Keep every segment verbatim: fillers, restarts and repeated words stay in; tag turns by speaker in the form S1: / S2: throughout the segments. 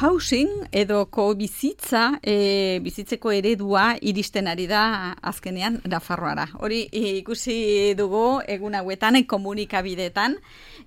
S1: co-housing edo co-bizitza, e, bizitzeko eredua iristen ari da azkenean Nafarroara. Hori e, ikusi dugu egun hauetan komunikabideetan,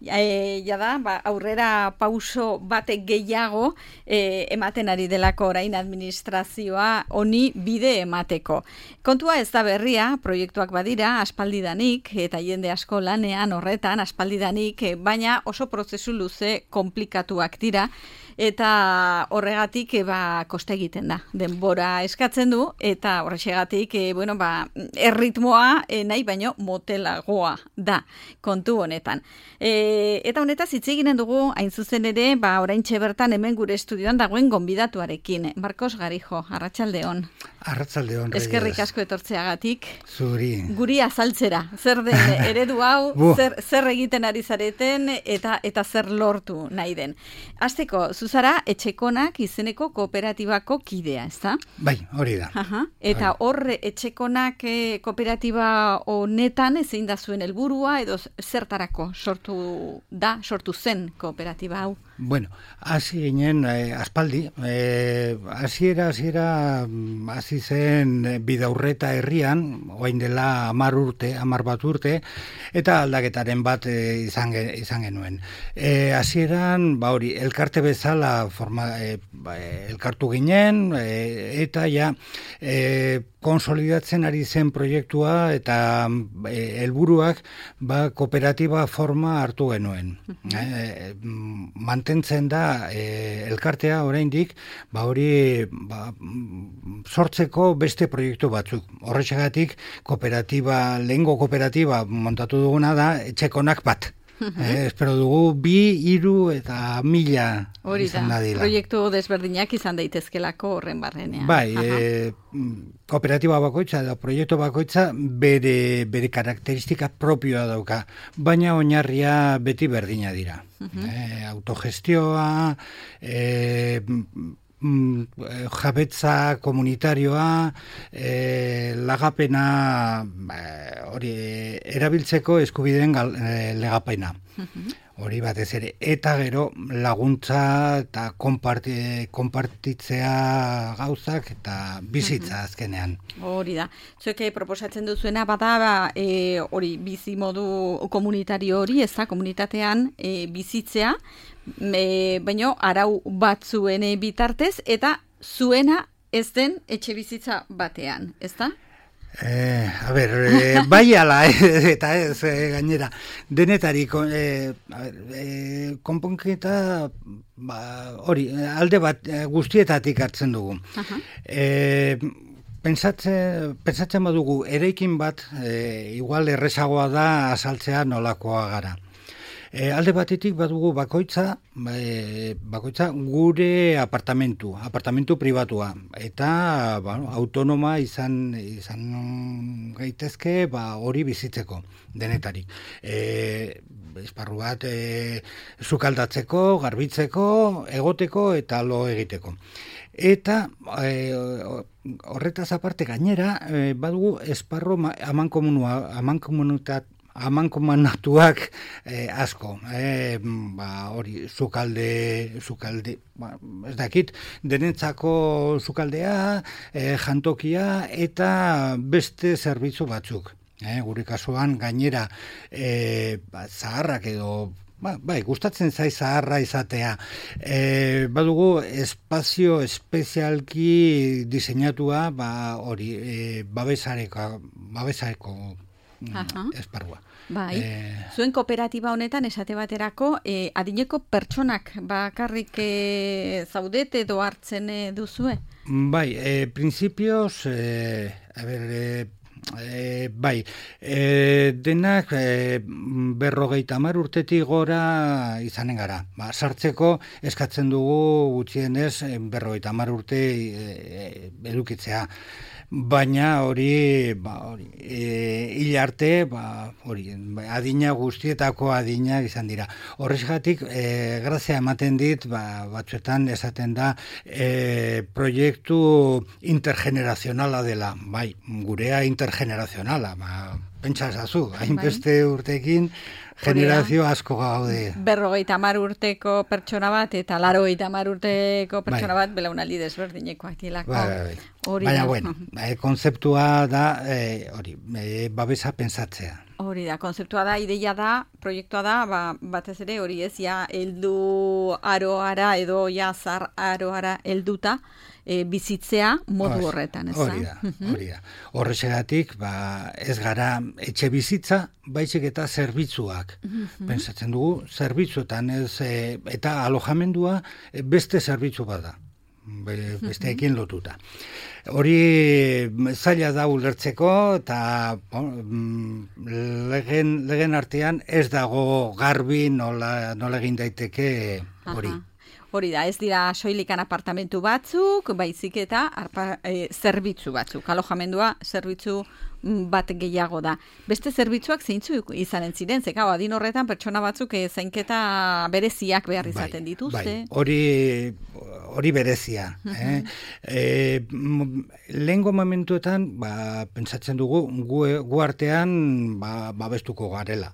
S1: e, jada, ba, aurrera pauso batek gehiago e, ematen ari delako orain administrazioa honi bide emateko. Kontua ez da berria, proiektuak badira, aspaldidanik, eta jende asko lanean horretan, aspaldidanik, baina oso prozesu luze komplikatuak dira, eta horregatik e, ba, koste egiten da. Denbora eskatzen du, eta horrexegatik e, bueno, ba, erritmoa e, nahi baino motelagoa da kontu honetan. E, eta honetaz hitz eginen dugu, hain zuzen ere, ba, oraintxe bertan hemen gure estudioan dagoen gonbidatuarekin. Marcos Garijo, arratsaldeon.
S2: Arratsaldeon, Reyes.
S1: Eskerrik asko etortzeagatik.
S2: Zuri.
S1: Guri azaltzera. Zer den eredu hau, zer, zer egiten ari zareten, eta eta zer lortu nahi den. Hasteko, zuzara Etxekonak izeneko kooperatibako kidea, ezta?
S2: Bai, hori da.
S1: Aha. Eta horre Etxekonak e, kooperatiba honetan zein da zuen helburua edo zertarako sortu da, sortu zen kooperatiba hau?
S2: Bueno, hasi ginen eh, aspaldi, eh, hasiera hasiera hasi zen Bidaurreta herrian, orain dela hamar urte, hamar bat urte, eta aldaketaren bat eh, izan, izan genuen. Eh, hasieran, ba hori, elkarte bezala forma, eh, ba, elkartu ginen, eh, eta ja eh, konsolidatzen ari zen proiektua eta eh, helburuak ba, kooperatiba forma hartu genuen. Uh-huh. eh, mantentzen da eh, elkartea oraindik, ba hori ba, sortzeko beste proiektu batzuk. Horrexegatik kooperatiba, lehengo kooperatiba montatu duguna da Etxekonak bat. Eh, espero dugu bi, hiru eta mila
S1: hori
S2: izan
S1: da,
S2: dadila.
S1: Proiektu desberdinak izan daitezkelako horren barrenean.
S2: Bai, e, kooperatiba bakoitza edo proiektu bakoitza bere, bere karakteristika propioa dauka, baina oinarria beti berdina dira. Uh-huh. e, autogestioa, e, jabetza komunitarioa, e, lagapena, hori erabiltzeko eskubideen gal, e, legapena. Uh-huh. Hori batez ere, eta gero laguntza eta konparti, konpartitzea gauzak eta bizitza azkenean.
S1: Hori da. Zuek proposatzen duzuena bada e, hori bizi modu komunitario hori, ez da, komunitatean e, bizitzea, e, baino arau batzuen bitartez, eta zuena ez den etxe bizitza batean, ez da?
S2: Eh, a ber, eh, bai ala, eh, eta ez, eh, gainera, denetari, eh, eh, konponketa, ba, hori, alde bat eh, guztietatik hartzen dugu. Uh-huh. Eh, Pentsatze, pentsatzen badugu, eraikin bat, eh, igual errezagoa da azaltzea nolakoa gara. E, alde batetik badugu bakoitza, e, bakoitza gure apartamentu, apartamentu pribatua, eta bueno, autonoma izan, izan gaitezke ba, hori bizitzeko denetarik. E, esparru bat e, sukaldatzeko, garbitzeko, egoteko eta lo egiteko. Eta e, horretaz aparte gainera, e, badugu esparru amankomunua, amankomunitat, amankomunatuak eh, asko, eh, ba, hori, sukalde, sukalde, ba, ez dakit, denentzako sukaldea, eh, jantokia eta beste zerbitzu batzuk. Eh, gure kasuan gainera eh, ba, zaharrak edo Ba, bai, gustatzen zai zaharra izatea. E, badugu espazio espezialki diseinatua, ba, hori, e, babesareko, babesareko uh-huh. esparrua.
S1: Bai, e... zuen kooperatiba honetan esate baterako, e, adineko pertsonak bakarrik e, zaudete edo hartzen e, duzue?
S2: Bai, e, principios, e, a ber, e, E, bai, e, denak e, berrogeita hamar urtetik gora izanen gara. Ba, sartzeko eskatzen dugu gutxienez berrogeita hamar urte e, edukitzea. Baina hori, ba, hori e, hil arte, ba, hori, adina guztietako adina izan dira. Horrexegatik, e, grazia ematen dit, ba, batzuetan esaten da, e, proiektu intergenerazionala dela. Bai, gurea intergenerazionala, ba, pentsa ezazu, hainbeste urtekin, generazio asko gaude.
S1: Berrogeita hamar urteko pertsona bat eta larogeita hamar urteko pertsona bat belaunaldi desberdinekoak dilako.
S2: Bai, bai, bai. Baina, bueno, eh, konzeptua da, eh, hori, eh, babesa pensatzea.
S1: Hori da, konzeptua da, ideia da, proiektua da, ba, batez ere hori ez, ja, heldu aroara edo ja zar aroara helduta e, bizitzea modu
S2: Os,
S1: horretan, ez
S2: hori da? Hori da. Horrexegatik, ba, ez gara etxe bizitza, baizik eta zerbitzuak. Pentsatzen dugu, zerbitzuetan, ez, e, eta alojamendua e, beste zerbitzu bat da. Besteekin lotuta. Hori zaila da ulertzeko eta bon, legen, legen artean ez dago garbi nola, nola egin daiteke hori.
S1: Hori da, ez dira soilikan apartamentu batzuk, baizik eta arpa, e, zerbitzu batzuk. Alojamendua zerbitzu bat gehiago da. Beste zerbitzuak zeintzuk izanen ziren, zeka, adin horretan pertsona batzuk e, zainketa bereziak behar izaten dituzte.
S2: Bai, hori, hori berezia. eh? E, lehengo momentuetan, ba, pentsatzen dugu, gu, gu artean ba, babestuko garela.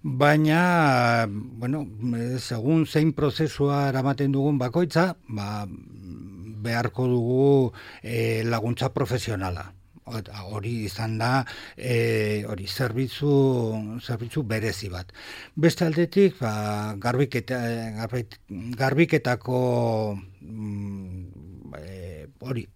S2: Baina, bueno, segun zein prozesua eramaten dugun bakoitza, ba, beharko dugu e, laguntza profesionala. Hori izan da, e, hori zerbitzu, zerbitzu berezi bat. Beste aldetik, ba, garbiketa, garbik, garbiketako mm, e, hori,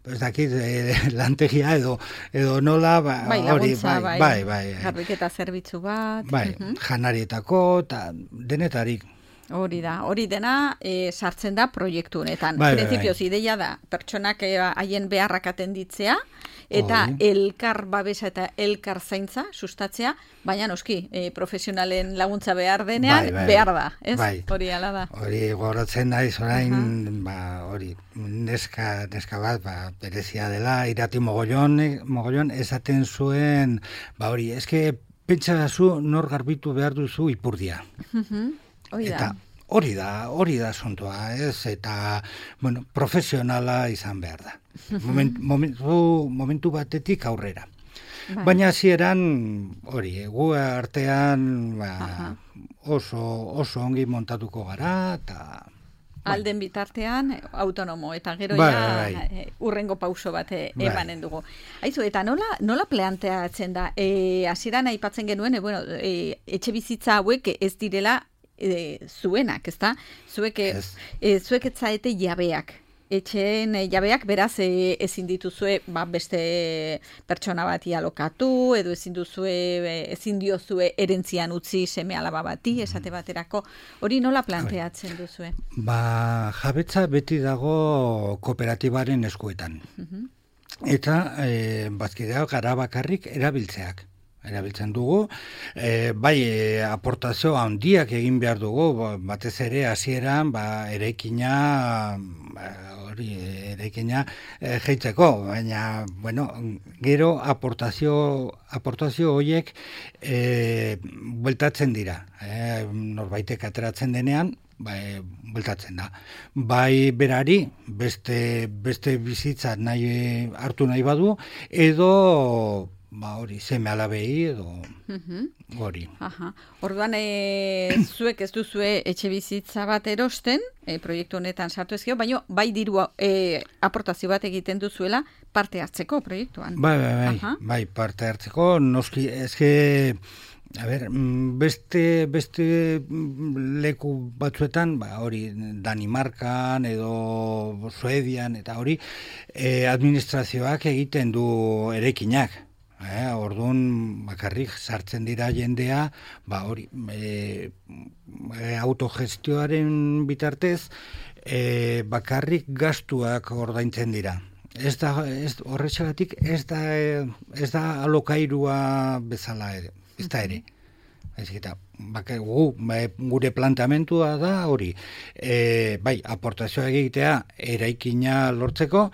S2: ez dakit, e, lantegia edo edo nola, ba,
S1: bai,
S2: hori,
S1: laguntza,
S2: bai,
S1: bai,
S2: bai, bai,
S1: garbiketa zerbitzu bat.
S2: Bai,
S1: uh-huh.
S2: janarietako, eta denetarik.
S1: Hori da, hori dena e, sartzen da proiektu honetan.
S2: Bai,
S1: Printzipioz,
S2: bai, bai.
S1: ideia da, pertsonak haien beharrak atenditzea, eta Oi. elkar babesa eta elkar zaintza sustatzea, baina noski, e, profesionalen laguntza behar denean,
S2: bai, bai,
S1: behar da, ez?
S2: Bai.
S1: Hori ala da.
S2: Hori goratzen naiz orain, uh-huh. ba, hori, neska, neska bat, ba, berezia dela, irati mogollon, mogollon esaten zuen, ba, hori, eske, pentsa zu nor garbitu behar duzu ipurdia.
S1: Uh-huh. Hori da.
S2: Eta hori da, hori da zontoa, ez? Eta, bueno, profesionala izan behar da. Moment, momentu, momentu batetik aurrera. Bai. Baina hasieran hori, gu artean ba, oso, oso ongi montatuko gara, eta...
S1: Alden bitartean, autonomo, eta gero
S2: bai,
S1: ja
S2: bai.
S1: urrengo pauso bat
S2: bai.
S1: emanen dugu. Aizu, eta nola, nola planteatzen da? E, hasieran aipatzen genuen, e, bueno, e, etxe bizitza hauek ez direla E, zuenak, ezta? Zuek, yes. e, zuek etzaete jabeak. Etxeen e, jabeak, beraz, e, ezin dituzue ba, beste pertsona bati alokatu, edo ezin duzue, e, ezin diozue erentzian utzi seme alaba bati, esate baterako. Hori nola planteatzen duzue?
S2: Ba, jabetza beti dago kooperatibaren eskuetan. Uh-huh. Eta, e, bazkidea gara bakarrik erabiltzeak. erabiltzen dugu, e, bai e, aportazio handiak egin behar dugu, batez ere hasieran ba, ereikina ba, hori ereikina e, jeitzeko, baina bueno, gero aportazio aportazio horiek e, bueltatzen dira, e, norbaitek ateratzen denean, bai, bueltatzen da. Bai berari, beste, beste bizitza nahi, hartu nahi badu, edo ba hori, seme alabei edo uh-huh. hori.
S1: Aha. Orduan, e, zuek ez duzue etxe bizitza bat erosten, e, proiektu honetan sartu ezkio, baina bai diru e, aportazio bat egiten duzuela parte hartzeko proiektuan.
S2: Bai, bai, bai, uh-huh. bai parte hartzeko, noski, ezke, a ber, beste, beste leku batzuetan, ba, hori, Danimarkan edo Suedian eta hori, e, administrazioak egiten du erekinak. Eh, orduan bakarrik sartzen dira jendea, ba hori, e, e, autogestioaren bitartez e, bakarrik gastuak ordaintzen dira. Ez da, ez, horretxagatik ez da, ez da alokairua bezala ere, ez da ere. Ez eta, baka, gu, gure planteamentua da hori, e, bai, aportazioa egitea eraikina lortzeko,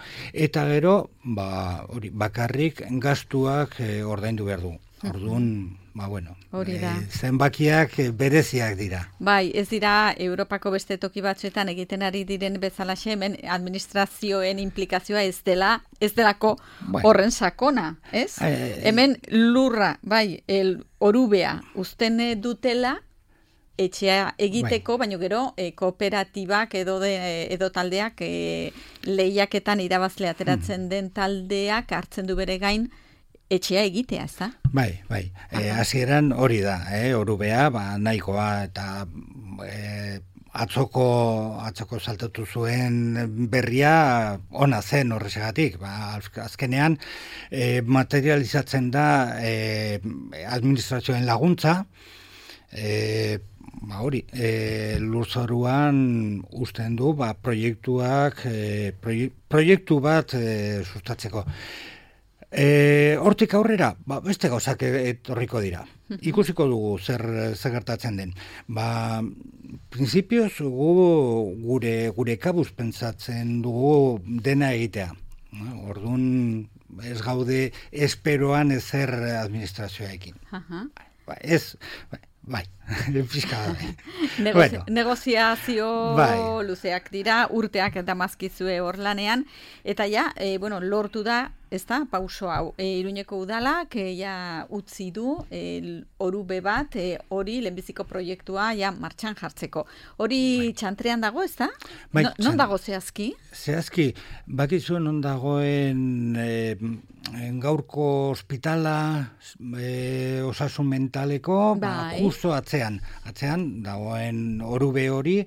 S2: eta gero, ba, hori, bakarrik gastuak e, ordaindu behar du. Orduan, ba, bueno,
S1: Hori da.
S2: E, zenbakiak bereziak dira.
S1: Bai, ez dira Europako beste toki batzuetan egiten ari diren bezalaxe, hemen administrazioen implikazioa ez dela, ez delako
S2: bai.
S1: horren sakona, ez?
S2: E,
S1: hemen lurra, bai, el orubea uzten dutela, etxea egiteko, bai. Baina gero e, kooperatibak edo, de, edo taldeak e, lehiaketan irabazle ateratzen hmm. den taldeak hartzen du bere gain etxea egitea, ez da?
S2: Bai, bai. E, hasieran hori da, eh? Orubea, ba, nahikoa eta e, atzoko, atzoko saltatu zuen berria ona zen horrexegatik. Ba, azkenean e, materializatzen da e, administrazioen laguntza, e, ba hori, e, lurzoruan usten du, ba, proiektuak, e, proiek, proiektu bat e, sustatzeko. E, hortik aurrera, ba, beste gauzak etorriko dira. Ikusiko dugu zer, zer gertatzen den. Ba, prinsipioz gu, gure, gure kabuz pentsatzen dugu dena egitea. Orduan ez gaude esperoan ezer administrazioekin.
S1: Uh-huh.
S2: Ba, ez... Ba, bai, fiskala.
S1: Negozi- bueno. Negoziazio bai. Luzeak dira, urteak eta mazkizue hor lanean, eta ja, e, bueno, lortu da, ez da, pauso hau, e, Iruñeko udalak, e, ja, utzi du, e, orube bat, e, hori lehenbiziko proiektua, ja, martxan jartzeko. Hori bai. Txantrean dago, ez da?
S2: Bai,
S1: no, non dago zehazki?
S2: Zehazki, bakizu non dagoen e, gaurko ospitala, e, osasun mentaleko, bai. Ba, justo atzean, atzean dagoen orube hori,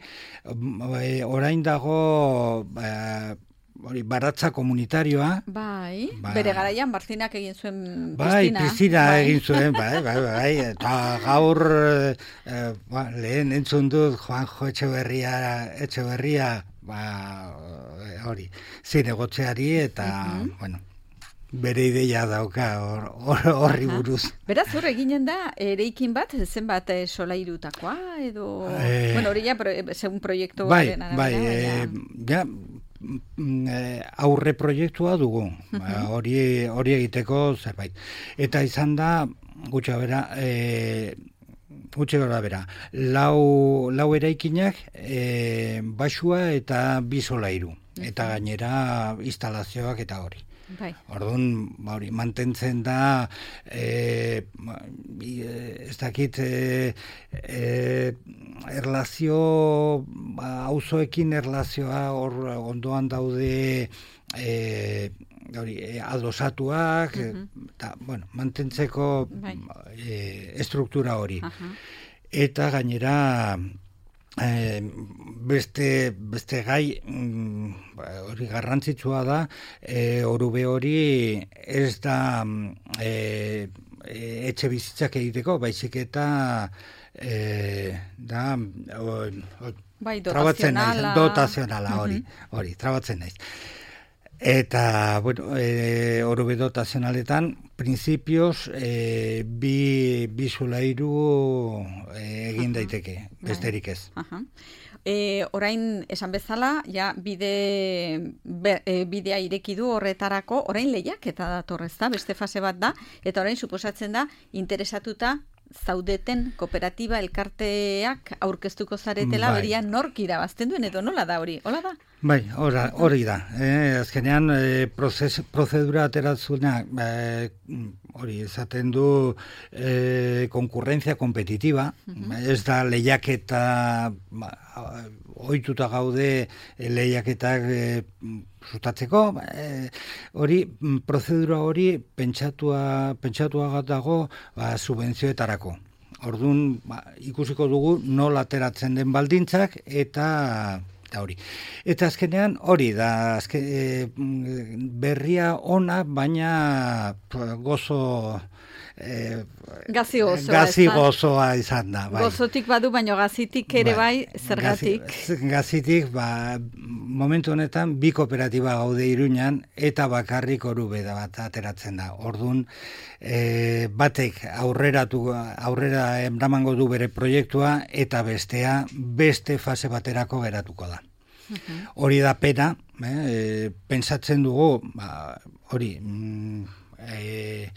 S2: e, orain dago e, hori baratza komunitarioa.
S1: Bai, ba, bere garaian Barzinak egin zuen
S2: bai,
S1: piztina.
S2: Piztina bai. egin zuen, bai, bai, bai, eta gaur e, ba, lehen entzun dut Juanjo Etxeberria, Etxeberria, ba, hori, zinegotzeari eta, uh-huh. bueno, bere ideia dauka horri or, buruz.
S1: Beraz, hor eginen da, ereikin bat, zenbat e, solairutakoa, edo... Eh, bueno, hori ja, pro, segun proiektu...
S2: Bai, bai, e, ja, aurre proiektua dugu, uh-huh. hori, hori egiteko zerbait. Eta izan da, gutxa bera, e, gutxe gara bera, lau, lau eraikinak, e, basua eta bi solairu, uh-huh. eta gainera instalazioak eta hori. Bai. Orduan, hori, mantentzen da e, ez dakit e, e, erlazio auzoekin erlazioa hor ondoan daude e, hori, e, adosatuak uh-huh. eta, bueno, mantentzeko bai. e, estruktura hori. Uh-huh. Eta gainera E, beste, beste gai mm, hori garrantzitsua da e, orube hori ez da e, e, etxe bizitzak egiteko, baizik eta e, da o, o,
S1: bai, dotazionala
S2: dotazionala hori, uh-huh. hori, trabatzen naiz. Eta, bueno, e, orube dotazionaletan, prinsipioz, e, bi, bi zulairu e, egin daiteke, besterik ez.
S1: Aha. E, orain, esan bezala, ja, bide, be, e, bidea ireki du horretarako, orain lehiak eta datorrez da, beste fase bat da, eta orain suposatzen da, interesatuta, zaudeten kooperatiba elkarteak aurkeztuko zaretela, bai. Beria nork irabazten duen edo nola da hori, hola da?
S2: Bai, ora, hori da. Eh, azkenean, eh, prozes, prozedura ateratzuna, eh, hori, esaten du eh, konkurrentzia kompetitiva, uh-huh. ez da lehiaketa, ohituta gaude lehiaketak eh, sustatzeko, eh, hori, prozedura hori pentsatua, pentsatua dago ba, subentzioetarako. Orduan, ba, ikusiko dugu nola ateratzen den baldintzak eta hori. Eta azkenean hori da, azke, e, berria ona, baina gozo... E,
S1: gazi gozoa,
S2: gazi gozoa izan da. Bai.
S1: Gozotik badu, baina gazitik ere bai, bai zergatik.
S2: Gazi, gazitik, ba, momentu honetan, bi kooperatiba gaude Iruñan, eta bakarrik orube da bat ateratzen da. Orduan, e, batek aurreratu, aurrera eramango du bere proiektua, eta bestea beste fase baterako geratuko da. Uh-huh. Hori da pena, eh, pentsatzen dugu, ba, hori, mm, e,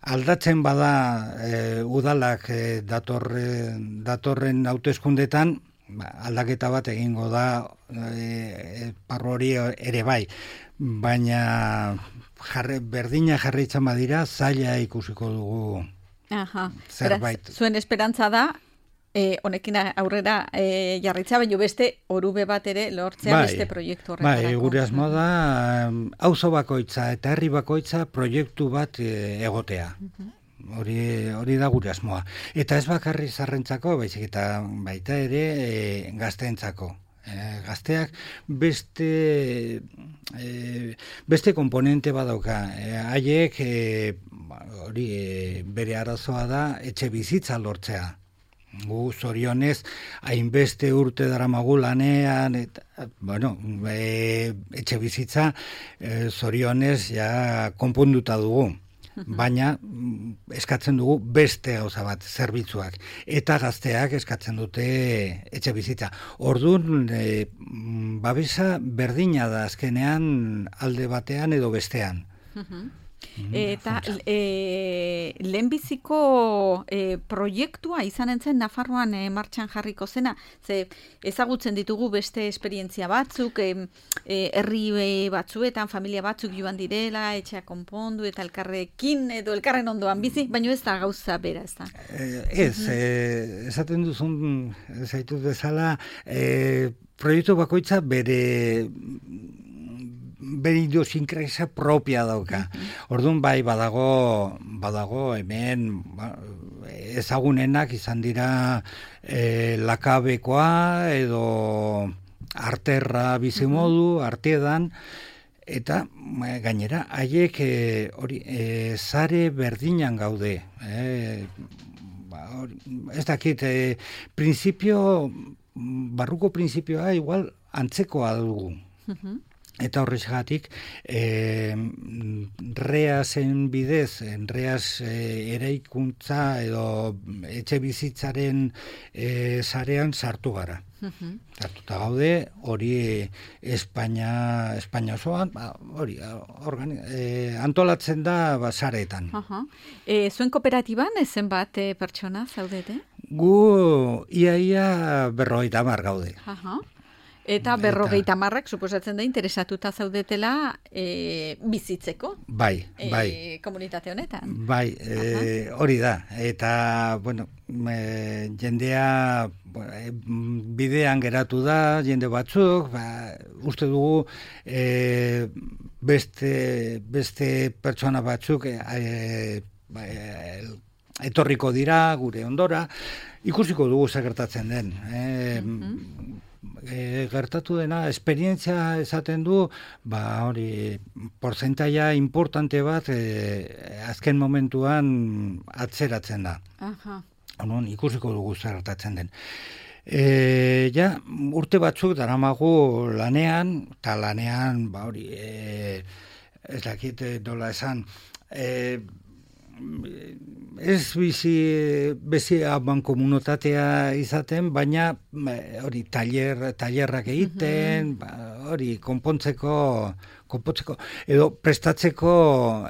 S2: aldatzen bada e, udalak e, datorren, datorren hauteskundetan, ba, aldaketa bat egingo da e, parro hori ere bai, baina jarre, berdina jarraitzen badira, zaila ikusiko dugu.
S1: Aha.
S2: Zerbait.
S1: Beraz, zuen esperantza da, E, honekin aurrera e, jarritza, baina beste orube bat ere lortzea bai, beste proiektu horretarako.
S2: Bai, gure asmoa da, auzo bakoitza eta herri bakoitza proiektu bat e, egotea. Hori, hori da gure asmoa. Eta ez bakarri zarrentzako, baizik eta baita ere e, gazteentzako. E, gazteak beste e, beste komponente badauka. E, haiek e, hori e, bere arazoa da etxe bizitza lortzea. Gu zorionez, hainbeste urte daramagu lanean, eta, bueno, e, etxe bizitza e, zorionez ja konponduta dugu. Baina eskatzen dugu beste gauza bat, zerbitzuak. Eta gazteak eskatzen dute etxe bizitza. Orduan, e, babesa berdina da azkenean alde batean edo bestean.
S1: Eta e, lehenbiziko e, proiektua izan entzen Nafarroan e, martxan jarriko zena, ze ezagutzen ditugu beste esperientzia batzuk, e, e, herri batzuetan, familia batzuk joan direla, etxea konpondu eta elkarrekin edo elkarren ondoan bizi, baina ez da gauza bera, ez da?
S2: Eh, ez, eh, esaten duzun, zaitut bezala, eh, proiektu bakoitza bere bere idiosinkresia propia dauka. Orduan bai badago badago hemen ba, ezagunenak izan dira e, lakabekoa edo arterra bizimodu, artedan, eta gainera haiek hori e, sare berdinan gaude. E, ba, hori, ez dakit, e, principio, barruko principioa igual antzekoa dugu. Eta horrexegatik, eh, reasen bidez, reas eh, eraikuntza edo etxe bizitzaren eh, sarean sartu gara. Uh-huh. Sartuta gaude, hori Espainia, Espainia osoan, ba, hori organi, eh, antolatzen da ba, sareetan.
S1: Uh-huh. E, zuen kooperatiban ezen bat e, pertsona zaudete?
S2: Gu iaia berrogeita hamar gaude.
S1: Uh-huh. Eta berrogeita hamarrak suposatzen da interesatuta zaudetela e, bizitzeko.
S2: Bai, bai.
S1: E, komunitate honetan.
S2: Bai, e, hori da. Eta, bueno, e, jendea e, bidean geratu da, jende batzuk, ba, uste dugu e, beste, beste pertsona batzuk e, e, e, etorriko dira gure ondora, ikusiko dugu zer gertatzen den. E, mm-hmm. E, gertatu dena, esperientzia esaten du, ba hori, porcentaia importante bat e, azken momentuan atzeratzen da. Aha. Onon, ikusiko dugu zer gertatzen den. E, ja, urte batzuk daramagu lanean, eta lanean, ba hori, e, ez dakit nola esan, e, ez bizi bezi aban komunitatea izaten, baina hori taller, tallerrak egiten, uh-huh. ba, hori konpontzeko, konpontzeko edo prestatzeko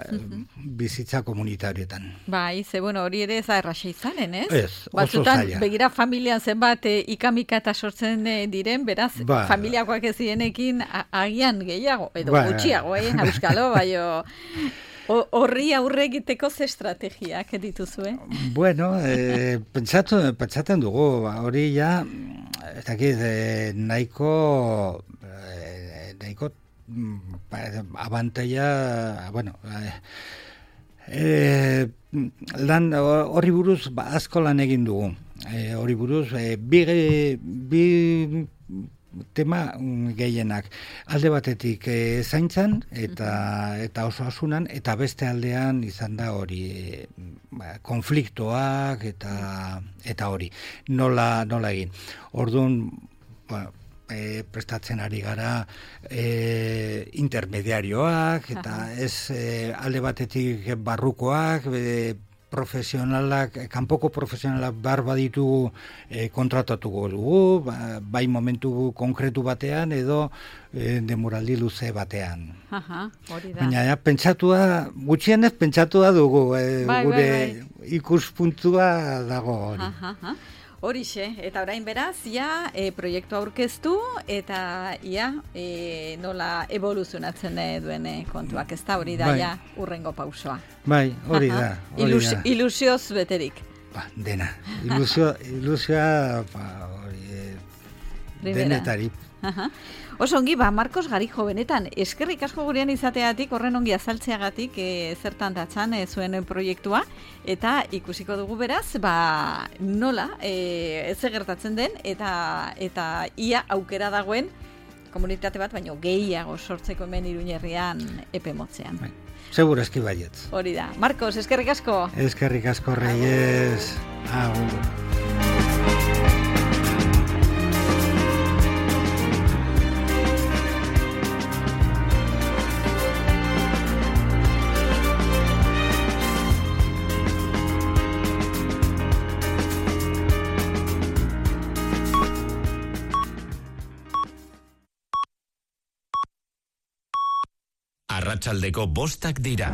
S2: uh-huh. bizitza komunitarietan.
S1: Bai, ze bueno, hori ere ez da erraxa izanen, ez?
S2: Ez, oso
S1: batzutan,
S2: zaila.
S1: Begira familian zenbat e, ikamika eta sortzen e, diren, beraz, ba, familiakoak ez direnekin agian gehiago, edo ba, gutxiago, eh, euskalo, baino... Horri aurre egiteko ze estrategiak dituzue?
S2: Bueno, eh, pentsatu, pentsaten dugu, hori ja, ez dakit, eh, nahiko, eh, nahiko abantaila, bueno, eh, eh, lan horri buruz ba, asko lan egin dugu. Eh, horri buruz, eh, bi, bi tema gehienak. Alde batetik e, zaintzan eta eta oso asunan, eta beste aldean izan da hori e, ba, konfliktoak eta eta hori. Nola, nola egin. Orduan, ba, e, prestatzen ari gara e, intermediarioak, eta ez e, alde batetik barrukoak, e, profesionalak, kanpoko profesionalak bar baditugu e, kontratatuko dugu, ba, bai momentu konkretu batean edo e, demoraldi luze batean.
S1: Aha, hori da.
S2: Baina ja, pentsatua, gutxienez pentsatua dugu, e,
S1: bai,
S2: gure
S1: bai, bai.
S2: ikuspuntua dago hori.
S1: Aha, aha. Horixe, eta orain beraz, ia e, proiektu aurkeztu eta ia e, nola evoluzionatzen duen e, kontuak, ez da hori da,
S2: bai.
S1: ja, urrengo pausoa.
S2: Bai, hori da. Hori
S1: Ilus,
S2: da.
S1: Ilusioz beterik.
S2: Ba, dena. Ilusio, ilusioa, ba, hori, e, denetari.
S1: Aha. Oso ongi, ba, Marcos Garijo, benetan, eskerrik asko gurean izateatik, horren ongi azaltzeagatik, e, zertan datzan e, zuen proiektua, eta ikusiko dugu beraz, ba, nola, e, ez gertatzen den, eta eta ia aukera dagoen komunitate bat, baino gehiago sortzeko hemen Iruñerrian epe motzean.
S2: Bai. Seguro eski baiet.
S1: Hori da. Marcos, eskerrik asko.
S2: Eskerrik asko, Reyes. Agur.
S3: Arratsaldeko bostak dira.